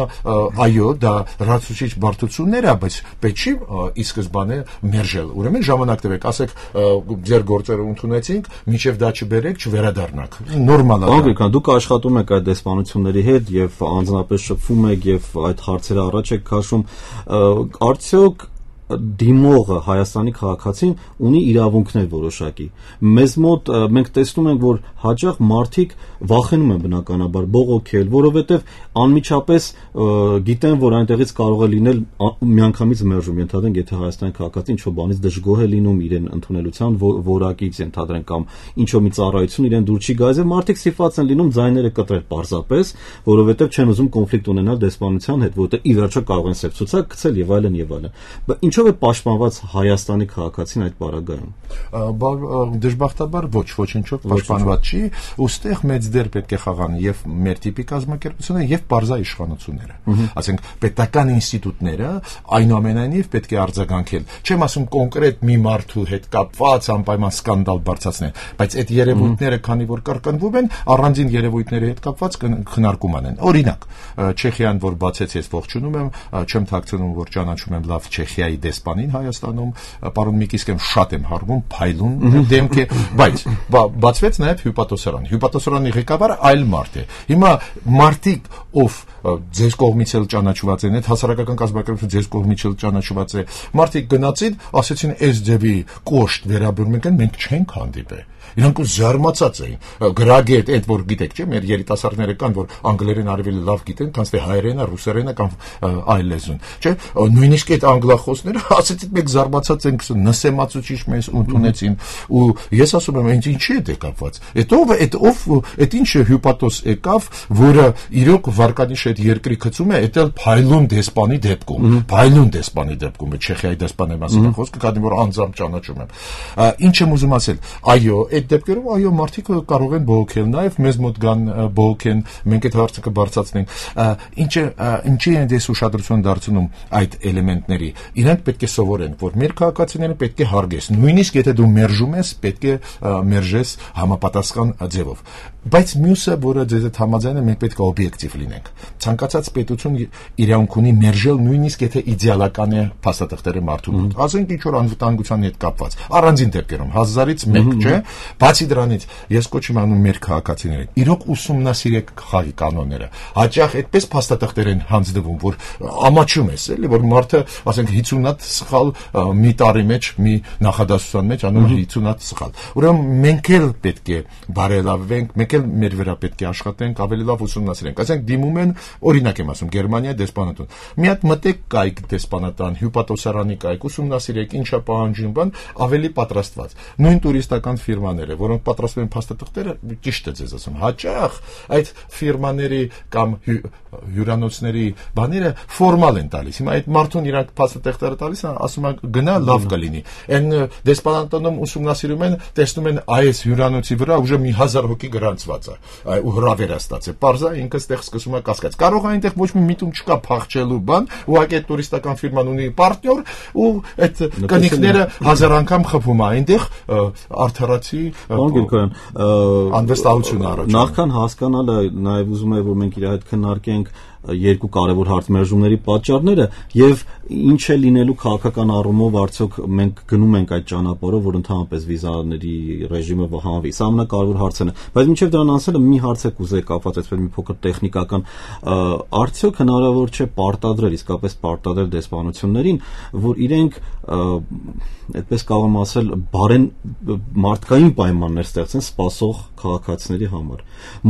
այո, դա լրացուցիչ բարդություններ է, բայց պետք չի ի սկզբանե մերժել։ Ուրեմն ժամանակ տվեք, ասեք ձեր գործերը ընդունեցինք, մինչև դա չբերեք, չվերադառնաք։ Նորմալ է։ Անկական դուք աշխատում եք այդ դեսպանությունների հետ եւ անձնապես շփվում եք եւ այդ հարցերը առաջ եք քաշում, արդյոք դիմողը Հայաստանի քաղաքացին ունի իրավունքներ որոշակի։ Մեզ մոտ մենք տեսնում ենք, որ հաճախ մարդիկ վախենում են բնականաբար բողոքել, որովհետև անմիջապես գիտեն, որ այնտեղից կարող է լինել միանգամից մերժում, ենթադրենք, եթե Հայաստանի քաղաքացին ինչ-որ բանից դժգոհ է լինում իրեն ընդունելության որակից, ենթադրենք, կամ ինչ-որ մի ծառայություն իրեն դուր չի գալիս, մարդիկ սիփված են լինում ձայները կտրել պարզապես, որովհետև չեն ուզում կոնֆլիկտ ունենալ դեսպանության հետ, որտեղ ի վերջո կարող են սև ցուցակ գցել եւ այլն եւ այլն։ Ինչո՞վ է պաշտպանված Հայաստանի քաղաքացին այդ պարագայում։ Դժբախտաբար ոչ, ոչինչով պաշտպանված չի, ուստեղ մեծ դեր պետք է խաղան եւ մեր տիպի կազմակերպությունը եւ բարձա իշխանությունները։ Ասենք պետական ինստիտուտները այնուամենայնիվ պետք է արձագանքել։ Չեմ ասում կոնկրետ մի մարդու հետ կապված անպայման սկանդալ բարձրացնել, բայց այդ երևույթները, քանի որ կրկնվում են, առանձին երևույթների հետ կապված քննարկում անեն։ Օրինակ, Չեխիան, որ բացեց, ես ողջունում եմ, չեմ թաքցնում, որ ճանաչում եմ լավ Չեխիայի դեսպանին Հայաստանում, պարոն Միկիսկեն շատ եմ հարվում, փայլուն դեմք է, բայց բացվեց նաև հյուպատոսարան։ Հյուպատոսարանի ղեկավարը այլ մարդ է։ Հիմա մարդիկ, ով ձեզ կողմից էլ ճանաչված են, այդ հասարակական կազմակերպությունը ձեզ կողմից էլ ճանաչված է, մարդիկ գնացին, ասեցին, այս ձևի կոշտ վերաբերում ենք, մենք չենք հանդիպել։ Իրանք զարմացած էին։ Գրագետ, այդ որ գիտեք, չէ՞, մեր երիտասարդները կան, որ անգլերեն ավելի լավ գիտեն, քան թե հայերենը, ռուսերենը կամ այլ լեզուն, չէ՞։ Նույնիսկ այդ անգլախոսները ասեցին, մենք զարմացած ենք, նսեմացուցիչ մեզ ընդունեցին, ու ես ասում եմ, ինչ ինչի է դա կապված։ Այդ ով, այդ ով, այդ ինչ հյուպատոս եկավ, որը իրոք վարկանիշ այդ երկրի գծում է, դա փայլուն դեսպանի դեպքում, փայլուն դեսպանի դեպքում, Չեխիայի դեսպանի մասին խոսքը, քանի որ անձամբ ճանաչում եմ։ Ինչ եմ ուզում ասել, այո, այդ դեպքերում այո մարդիկ կարող են բողոքել, նաև մեզ մոտ գան բողոքեն, մենք այդ հարցը կբարձրացնենք։ Ինչը ինչի են դες ուշադրություն դարձնում այդ էլեմենտների։ Իրանք պետք է սովորեն, որ մեր քաղաքացիները պետք է հարգես, նույնիսկ եթե դու մերժում ես, պետք է մերժես համապատասխան ձևով։ Բայց մյուսը, որը ձեզ հետ համաձայն է, մենք պետք է օբյեկտիվ լինենք։ Ցանկացած պետություն իրավունք ունի մերժել, նույնիսկ եթե իդեալական է փաստաթղթերը մարդու մոտ։ Ասենք ինչ որ անվտանգության հետ կապված, առանձին դեպքերում հազարից մեկ, չէ՞։ Բացի դրանից, ես կոչ եմ անում մեր քաղաքացիներին, իրոք ուսումնասիրեք խաղի կանոնները։ Հաճախ այդպես փաստաթղթեր են հանձնվում, որ ամաչում ես, էլի, որ մարդը, ասենք հիսուն հատ սխալ մի տարի մեջ, մի նախադասության մեջ անում հինգ հատ սխալ։ Ուրեմն մենք էլ պետք է բարելավենք, մենք էլ մեր վրա պետք է աշխատենք, ավելի լավ ուսումնասիրենք։ Ասենք դիմում են, օրինակ եմ ասում, Գերմանիա դեսպանատուն։ Մի հատ մտեք կայք դեսպանատան, հյուպատոսարանի կայք, ուսումնասիրեք, ինչա պահանջում բան, ավելի պատրաստված։ Նույն տուրիստական ֆիրմաները, որոնք պատրաստում են փաստաթղթերը, ճիշտ է ձեզ ասում, հաճախ այդ ֆիրմաների կամ հյուրանոցների բաները ֆորմալ են տալիս։ Հիմա այդ մարդուն իրանք փաստաթղթերը տալիս են, ասում են գնա լավ կլինի։ Այն դեսպանատանում ուսումնասիրում են, տեսնում են այս հյուրանոցի վրա ուժը մի հազար հոգի գրանցված է, ու հրավեր է ստացել։ Պարզա ինքը ստեղ սկսում է կասկած։ Կարող է այնտեղ ոչ մի միտում չկա փախչելու բան, ուղղակի այդ տուրիստական ֆիրման ունի պարտներ, ու այդ կնիկները հազար անգամ խփում է այնտեղ արդարացի անվստահություն առաջ։ Նախքան հասկանալը նաև ուզում եմ որ մենք իր հետ քննարկենք երկու կարևոր հարցմերժումների պատճառները եւ ինչ է լինելու քաղաքական առումով արդյոք մենք գնում ենք այդ ճանապարհով որ ընդհանրապես վիզաների ռեժիմը վահանվի սա ամենակարևոր հարցն է բայց մինչեւ դրան անցնելը մի հարց է կուզեի կապված այսպես մի փոքր տեխնիկական արդյոք հնարավոր չէ պարտադրել իսկապես պարտադրել դեսպանություններին որ իրենք այդպես կարող եմ ասել բարեն մարդկային պայմաններ ստեղծեն սպասող քաղաքացիների համար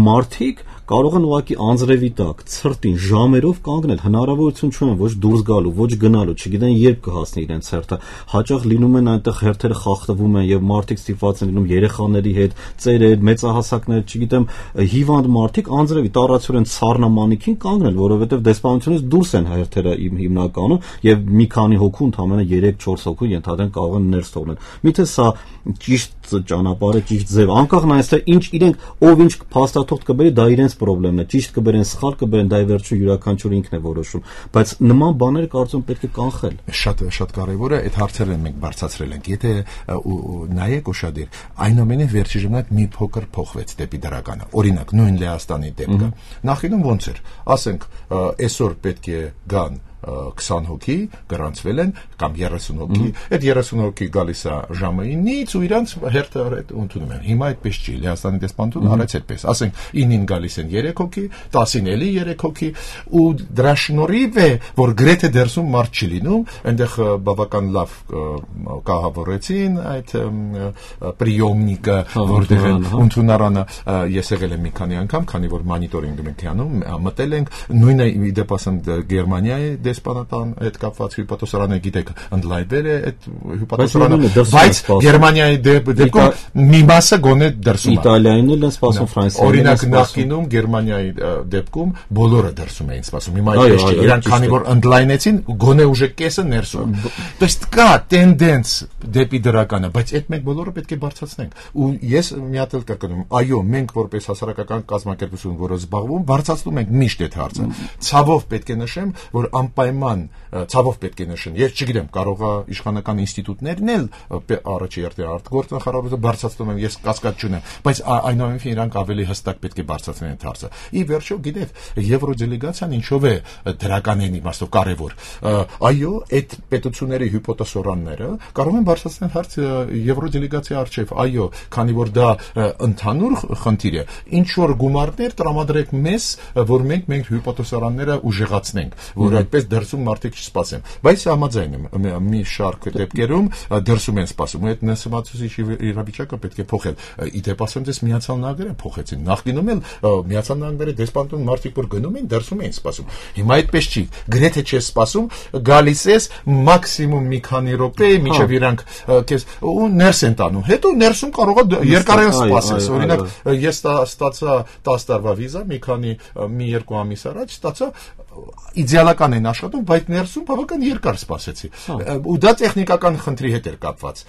մարդիկ կարող են ուղղակի անձրևի տակ ցրտին ժամերով կանգնել հնարավորություն չունեն ոչ դուրս գալու ոչ գնալու չգիտեն երբ կհասնի իրենց հերթը հաճախ լինում են այնտեղ հերթերը խախտվում են եւ մարդիկ ստիպված են լինում երեխաների հետ ծերեր մեծահասակներ չգիտեմ հիվանդ մարդիկ անձրևի տառացիորեն ցառնամանիքին կանգնել որովհետեւ դեսպանությունից դուրս են հերթերը հիմնականում եւ մի քանի հոգու ընդամենը երեք չորս հոգու ենթադրեն կարող են ներս թողնել միթե սա ճիշտ ճանապարհը ճիշտ ձև անկախ նայած թե ինչ իրենք ով ինչ փաստաթուղթ կբերի դա իրենց խնդիրն է ճիշտ կբերեն սխալ կբերեն դա վերջում յուրաքանչյուր ինքն է որոշում բայց նման բաները կարծում պետք է կանխել շատ շատ կարևոր է այդ հարցերը մենք բարձրացրել ենք եթե նայեք ուշադիր այնուամենայնիվ վերջի ժամանակ մի փոքր փոխվեց դեպի դրականը օրինակ նույն Լեհաստանի դեպքը նախինում ոնց էր ասենք այսօր պետք է գան քսան հոգի գրանցվել են կամ երեսուն հոգի այդ երեսուն հոգի գալիս է ժամը ինից ու իրանց հերթը ընդունում են հիմա այդպես չի Լեհաստանի դեսպանատունը արեց այդպես ասենք ինին գալիս են երեք հոգի տասին էլի երեք հոգի ու դրա շնորհիվ է որ գրեթե դերսում մարդ չի լինում այնտեղ բավական լավ կահավորեցին այդ պրիոմնիկը որտեղ ընդունարանը ես եղել եմ մի քանի անգամ քանի որ մոնիտորինգ ենք անում մտել ենք նույնը դեպի ասեմ Գերմանիայի դեսպանատան այդ կապված հյուպատոսարանը գիտեք ընդլայնել է այդ հյուպատոսարանը բայց Գերմանիայի դեպքում մի մասը գոնե դրսում է Իտալիայինն էլ են սպասում Ֆրանսիայինն օրինակ նախկինում Գերմանիայի դեպքում բոլորը դրսում էին սպասում հիմա այդպես չէ իրանք քանի որ ընդլայնեցին գոնե ուժը կեսը ներսում то есть կա տենդենս դեպի դրականը բայց այդ մենք բոլորը պետք է բարձրացնենք ու ես մի հատ էլ կրկնում այո մենք որպես հասարակական կազմակերպություն որը զբաղվում բարձրացնում ենք միշտ այդ հարցը ցավով պետք է նշեմ որ պայման ցավով պետք է նշեն ես չգիտեմ կարող է իշխանական ինստիտուտներն էլ առաջի երթի արտգործնախարարությունը բարձրացնում են ես կասկած չունեմ բայց այնուամենայնիվ իրանք ավելի հստակ պետք է բարձրացնեն այդ հարցը ի վերջո գիտեք եվրոդելեգացիան ինչով է դրականային իմաստով կարևոր այո այդ պետությունների հյուպոտոսորանները կարող են բարձրացնել հարցը եվրոդելեգացիայի արչև այո քանի որ դա ընդհանուր խնդիր է ինչ որ գումարներ տրամադրեք մեզ որ մենք մենք հյուպոտոսորանները ուժեղացնենք որ այդպես դրսում մարդիկ չսպասեն բայց համաձայն եմ մի շարք դեպքերում դրսում են սպասում այդ նսեմացուցիչ իրավիճակը պետք է փոխել իդեպ ասեմ դες Միացյալ Նահանգները փոխեցին նախկինում էլ Միացյալ Նահանգների դեսպանատուն մարդիկ որ գնում են դրսում էին սպասում հիմա այդպես չի գրեթե չես սպասում գալիս ես մաքսիմում մի քանի րոպե մինչև իրանք քեզ ու ներս են տանում հետո ներսում կարող է երկարել սպասես օրինակ ես ստացա տասը տարվա վիզա մի քանի մի երկու ամիս առաջ ստացա իդեալական են աշխատում, բայց ներսում բավական երկար սպասեցի։ Ու դա տեխնիկական խնդրի հետ էր կապված,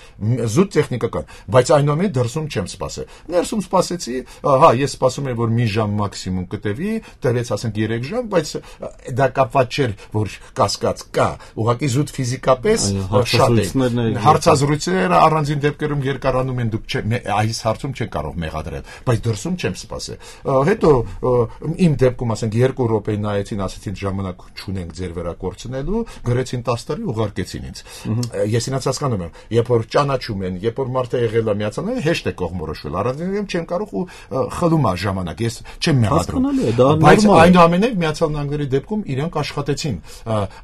զուտ տեխնիկական, բայց այնուամենայնիվ դրսում չեմ սպասել։ Ներսում սպասեցի, հա, ես սպասում եմ, որ մի ժամ մաքսիմում կտևի, տևեց ասենք երեք ժամ, բայց դա կապված չէր, որ կասկած կա, ուղղակի զուտ ֆիզիկապես շատ է։ Հարցազրույցները առանձին դեպքերում երկարանում են, դուք այս հարցում չեք կարող մեղադրել, բայց դրսում չեմ սպասել։ Հետո իմ դեպքում ասենք երկու րոպե նայեցին, ասեցին ասեցին ժամանակ չունենք ձեր վրա կորցնելու, գրեցին տասը տարի ուղարկեցին ինձ։ Ես ինձ հասկանում եմ, երբ որ ճանաչում են, երբ որ մարդը եղել է միացանել, հեշտ է կողմորոշվել։ Առանձին չեմ կարող ու խլում է ժամանակ։ Ես չեմ մեղադրում։ Բայց այնուամենայնիվ Միացյալ Նահանգների դեպքում իրենք աշխատեցին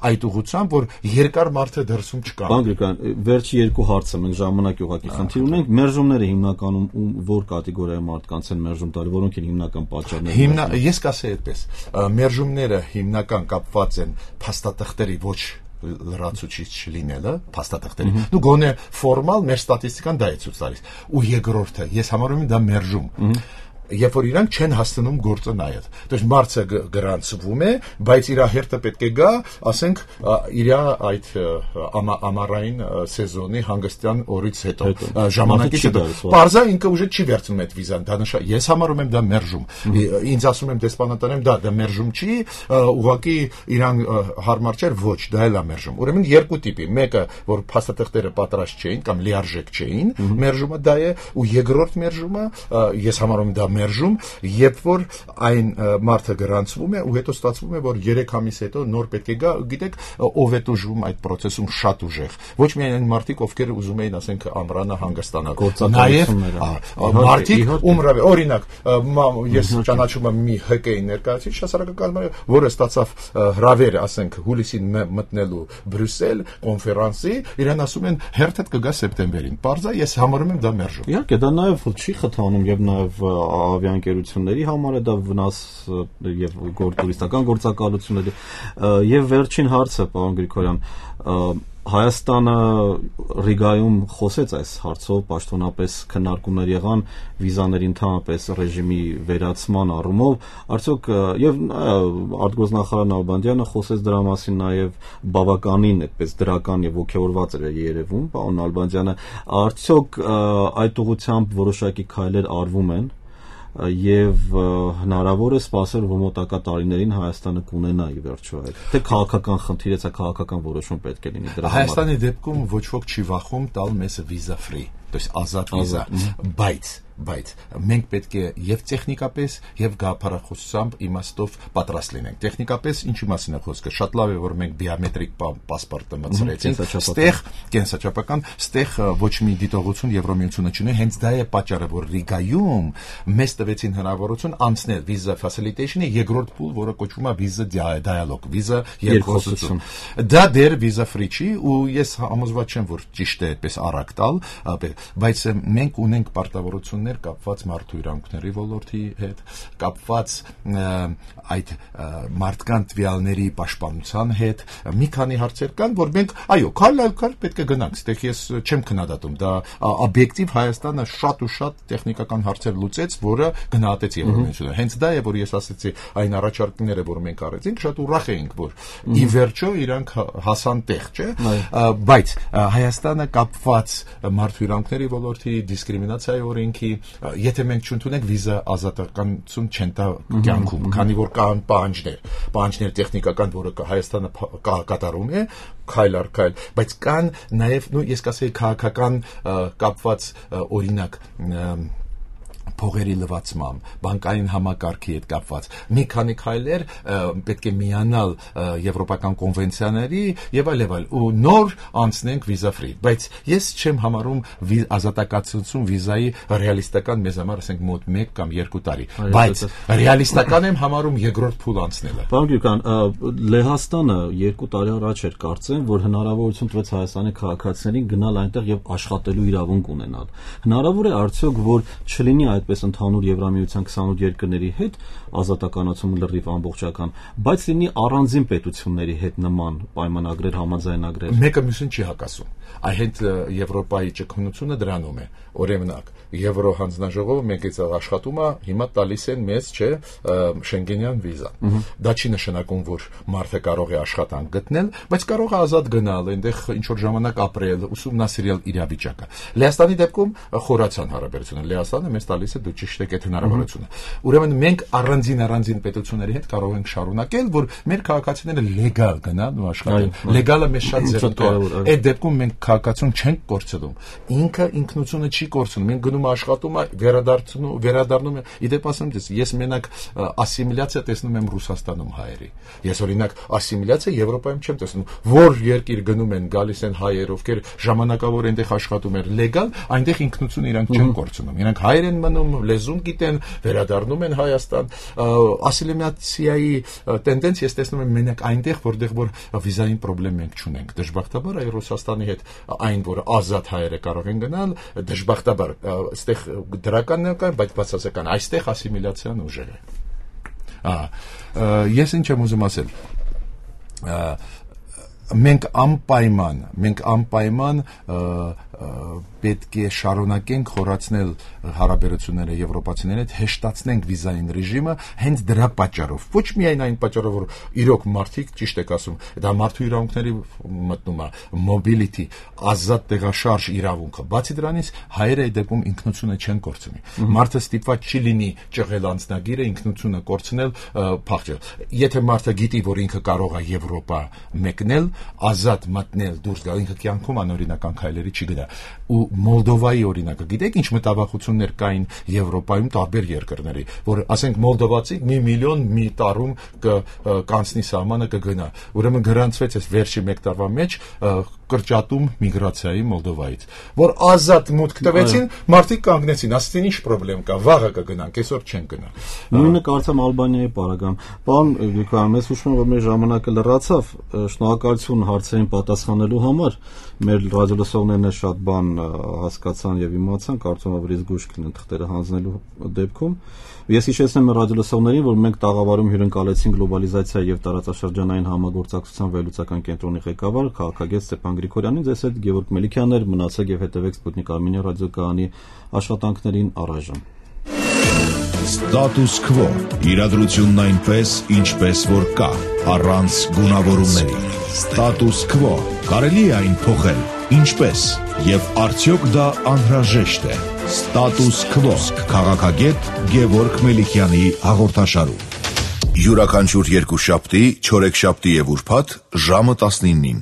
այդ ուղղությամբ, որ երկար մարդը դրսում չկա։ Բանկրիկան, վերջի երկու հարցը մենք ժամանակի ուղղակի խնդիր ունենք։ Մերժումները հիմնականում որ կատեգորիայի մարդկանց են մերժում տալի, որոնք են հիմնական պատճառները։ Հիմնա ես կասեի այդպես, մերժումները հիմնական կապված են փաստաթղթերի ոչ լրացուցիչ չլինելը, փաստաթղթերի։ Դու գոնե ֆորմալ մեր ստատիստիկան դա է ցույց տալիս։ Ու երկրորդը, ես համարում եմ դա մերժում։ Երբ որ իրանք չեն հասցնում գործը նայել։ Դες մարդը գրանցվում է, բայց իր հերթը պետք է գա, ասենք, իր այդ ամառային սեզոնի հանգստյան օրից հետո, ժամանակից հետո։ Պարզա ինքը ուժը չի վերցնում այդ վիզան, դա նշա։ Ես համարում եմ դա մերժում։ Ինձ ասում եմ դեսպանատանը, դա դա մերժում չի, ուղղակի իրան հարմար չէր, ոչ, դա էլ է մերժում։ Ուրեմն երկու տիպի, մեկը, որ փաստաթղթերը պատրաստ չէին կամ լիարժեք չէին, մերժումը դա է, ու երկրորդ մերժումը, ես համարում եմ դա մերժում, երբ որ այն մարդը գրանցվում է ու հետո ստացվում է, որ երեք ամիս հետո նոր պետք է գա, գիտեք, ով է ուժվում այդ process-ում շատ ուժեղ։ Ոչ միայն այն մարդիկ, ովքեր ուզում էին, ասենք, ամռանը հանգստանալ, նաև մարդիկ, ում օրինակ, ես ճանաչում եմ մի ՀԿ-ի ներկայացուցիչ հասարակական, որը ստացավ հրավեր, ասենք, հուլիսին մտնելու Բրյուսել կոնֆերանսի, իրեն ասում են հերթդ կգա սեպտեմբերին։ Պարզա ես համարում եմ դա մերժում։ Իհարկե, դա նաև չի խթանում եւ նաև ավիաընկերությունների համար է դա վնաս եւ տուրիստական գործակալությունների եւ վերջին հարցը, պարոն Գրիգորյան, Հայաստանը Ռիգայում խոսեց այս հարցով, պաշտոնապես քննարկումներ եղան վիզաների ընդհանրապես ռեժիմի վերացման առումով, արդյոք եւ արտգործնախարար Նալբանդյանը խոսեց դրա մասին նաեւ բավականին այդպես դրական եւ ոգեորված էր երևում, պարոն Նալբանդյանը, արդյոք այդ ուղղությամբ որոշակի քայլեր արվում են եւ հնարավոր է սպասել, որ մոտակա տարիներին Հայաստանը կունենա ի վերջո այդ թե քաղաքական խնդիր է, քաղաքական որոշում պետք է լինի դրա համար։ Հայաստանի դեպքում ոչ ոք չի վախում տալ մեզ վիզա ֆրի, то есть ազատ վիզա, բայց բայց մենք պետք է եւ տեխնիկապես եւ գաղափարախոսությամբ իմաստով պատրաստ լինենք։ Տեխնիկապես ինչի մասին է խոսքը։ Շատ լավ է, որ մենք բիոմետրիկ պասպորտը մտցրեցինք, ստեղ կենսաչափական, ստեղ ոչ մի դիտողություն Եվրոմիությունը չունի, հենց դա է պատճառը, որ Ռիգայում մեզ տվեցին հնարավորություն անցնել վիզա facilitation-ի երկրորդ փուլ, որը կոչվում է վիզա dialogue, վիզա երկխոսություն։ Դա դեռ վիզա free չի ու ես համոզված չեմ, որ ճիշտ է այդպես արագ տալ, բայց մենք ունենք պարտավորություն կապված մարդու իրավունքների ոլորտի հետ, կապված այդ մարդկանց տվյալների պաշտպանության հետ, մի քանի հարցեր կան, որ մենք, այո, քայլ այլ քայլ պետք է գնանք, այդտեղ ես չեմ քննադատում, դա օբյեկտիվ Հայաստանը շատ ու շատ տեխնիկական հարցեր լուծեց, որը գնահատեց Եվրոմիությունը։ Հենց դա է, որ ես ասեցի, այն առաջարկները, որ մենք արեցինք, շատ ուրախ էինք, որ ի վերջո իրանք հասան տեղ, չէ՞, բայց Հայաստանը կապված մարդու իրավունքների ոլորտի դիսկրիմինացիայի օրենքի եթե մենք չընդունենք վիզա ազատականություն չեն տա կյանքում, քանի որ կան պահանջներ, պահանջներ տեխնիկական, որը Հայաստանը կատարում է, քայլ առ քայլ, բայց կան նաև, նույն ես կասեի քաղաքական կապված օրինակ փողերի լվացմամբ, բանկային համակարգի հետ կապված մի քանի քայլեր պետք է միանալ եվրոպական կոնվենցիաների եւ այլ եւ այլ ու նոր անցնենք վիզա ֆրի, բայց ես չեմ համարում ազատակացություն վիզայի ռեալիստական մեզ համար ասենք մոտ մեկ կամ երկու տարի, բայց ռեալիստական եմ համարում երկրորդ փուլ անցնելը։ Պարոն Գրիգորյան, Լեհաստանը երկու տարի առաջ էր կարծեմ, որ հնարավորություն տվեց Հայաստանի քաղաքացիներին գնալ այնտեղ եւ աշխատելու իրավունք ունենալ։ Հնարավոր է արդյոք, որ չլինի այդպես ընդհանուր Եվրամիության քսանութ երկրների հետ ազատականացում լրիվ ամբողջական, բայց լինի առանձին պետությունների հետ նման պայմանագրեր, համաձայնագրեր։ Մեկը մյուսին չի հակասում։ Այդ Եվրոպայի ճկունությունը դրանում է։ Օրինակ, Եվրո հանձնաժողովը մենք այդ աշխատում է, հիմա տալիս են մեզ, չէ, Շենգենյան վիզա։ Դա չի նշանակում, որ մարդը կարող է աշխատանք գտնել, բայց կարող է ազատ գնալ, այնտեղ ինչ որ ժամանակ ապրել, ուսումնասիրել իրավիճակը։ Լեհաստանի դեպքում խորացան հարաբերությունը։ Լեհաստանը մեզ տալիս է է, դու ճիշտ եք այդ հնարավորությունը։ Ուրեմն մենք առանձին առանձին պետությունների հետ կարող ենք շարունակել, որ մեր քաղաքացիները լեգալ գնան ու աշխատեն։ Լեգալը մեզ շատ ձեռնտու է։ Այդ դեպքում մենք քաղաքացուն չենք կորցնում։ Ինքը ինքնությունը չի կորցնում։ Մենք գնում աշխատում, վերադառնում, վերադառնում։ Իդեպ ասեմ դες, ես մենակ ասիմիլյացիա տեսնում եմ Ռուսաստանում հայերի։ Ես օրինակ ասիմիլյացիա Եվրոպայում չեմ տեսնում։ Որ երկիր գնում են, գալիս են հայեր, ովքեր ժամանակավոր այնտեղ աշխատում են լեգալ, այնտեղ ինքնությունը իրանք չեն կորցնում։ Իրանք հայեր են մնում, լեզուն գիտեն, վերադառնում են Հայաստան։ Ասիմիլյացիայի տենդենս ես տեսնում եմ մենակ այնտեղ, որտեղ որ վիզային խնդրեմ մենք չունենք։ Դժբախտաբար այ Ռուսաստանի հետ այն, որ ազատ հայերը կարող են գնալ, դժբախտաբար այստեղ դրականն է, բայց բացասական այստեղ ասիմիլյացիան ուժեղ է։ Ահա, ես ինչ եմ ուզում ասել։ Մենք անպայման, մենք անպայման պետք է շարունակենք խորացնել հարաբերությունները եվրոպացիների հետ, հեշտացնենք վիզային ռեժիմը հենց դրա պատճառով։ Ոչ միայն այն պատճառով, որ իրոք մարդիկ ճիշտ եք ասում, դա մարդու իրավունքների մտնում է, mobility, ազատ տեղաշարժ իրավունքը։ Բացի դրանից հայերը այդ դեպքում ինքնությունը չեն կորցնի։ Մարդը ստիպված չի լինի ճղել անձնագիրը, ինքնությունը կորցնել, փախչել։ Եթե մարդը գիտի, որ ինքը կարող է Եվրոպա մեկնել, ազատ մտնել, դուրս գալ, ինքը կյանքում անօրինական քայլերի չի գնա։ Ու Մոլդովայի օրինակը, գիտեք ինչ մտավախություններ կային Եվրոպայում տարբեր երկրների, որ ասենք մոլդովացի մի միլիոն մի տարում կանցնի սահմանը կգնա։ Ուրեմն գրանցվեց այս վերջի մեկ տարվա մեջ կրճատում միգրացիայի Մոլդովայից, որ ազատ մուտք տվեցին, մարդիկ կանգնեցին, ասեցին ինչ խնդրեմ կա, վաղը կգնանք, այսօր չեն գնա։ Նույնը կարծեմ Ալբանիայի պարագայում։ Պարոն Գրիգորյան, մեզ հուշում եմ, որ մեր ժամանակը լրացավ, շնորհակալություն հարցերին պատասխանելու համար։ Մեր ռադիոլսողներն շատ բան հասկացան եւ իմացան, կարծում եմ, որ իսկ գուշ կլինեն թղթերը հանձնելու դեպքում։ Ես հիշեցնեմ ռադիոլսողներին, որ մենք տաղավարում հյուրընկալեցին գլոբալիզացիա եւ տարածաշրջանային համագործակցության վերլուծական կենտրոնի ղեկավար քաղաքագետ Ստեփան Գրիգորյանին, ձեզ հետ Գևորգ Մելիքյանն էր, մնացեք եւ հետեւեք Սպուտնիկ Արմենիա ռադիոկայանի աշխատանքներին առայժմ։ Status quo. Իրադրությունն այնպես, ինչպես որ կա, առանց գունավորումների։ Status quo. Կարելի է այն փոխել, ինչպես, եւ արդյոք դա անհրաժեշտ է։ Status quo. Քաղաքագետ Գևորգ Մելիքյանի հաղորդաշարում։ Յուրաքանչյուր երկուշաբթի, չորեքշաբթի եւ ուրբաթ ժամը տասնինին։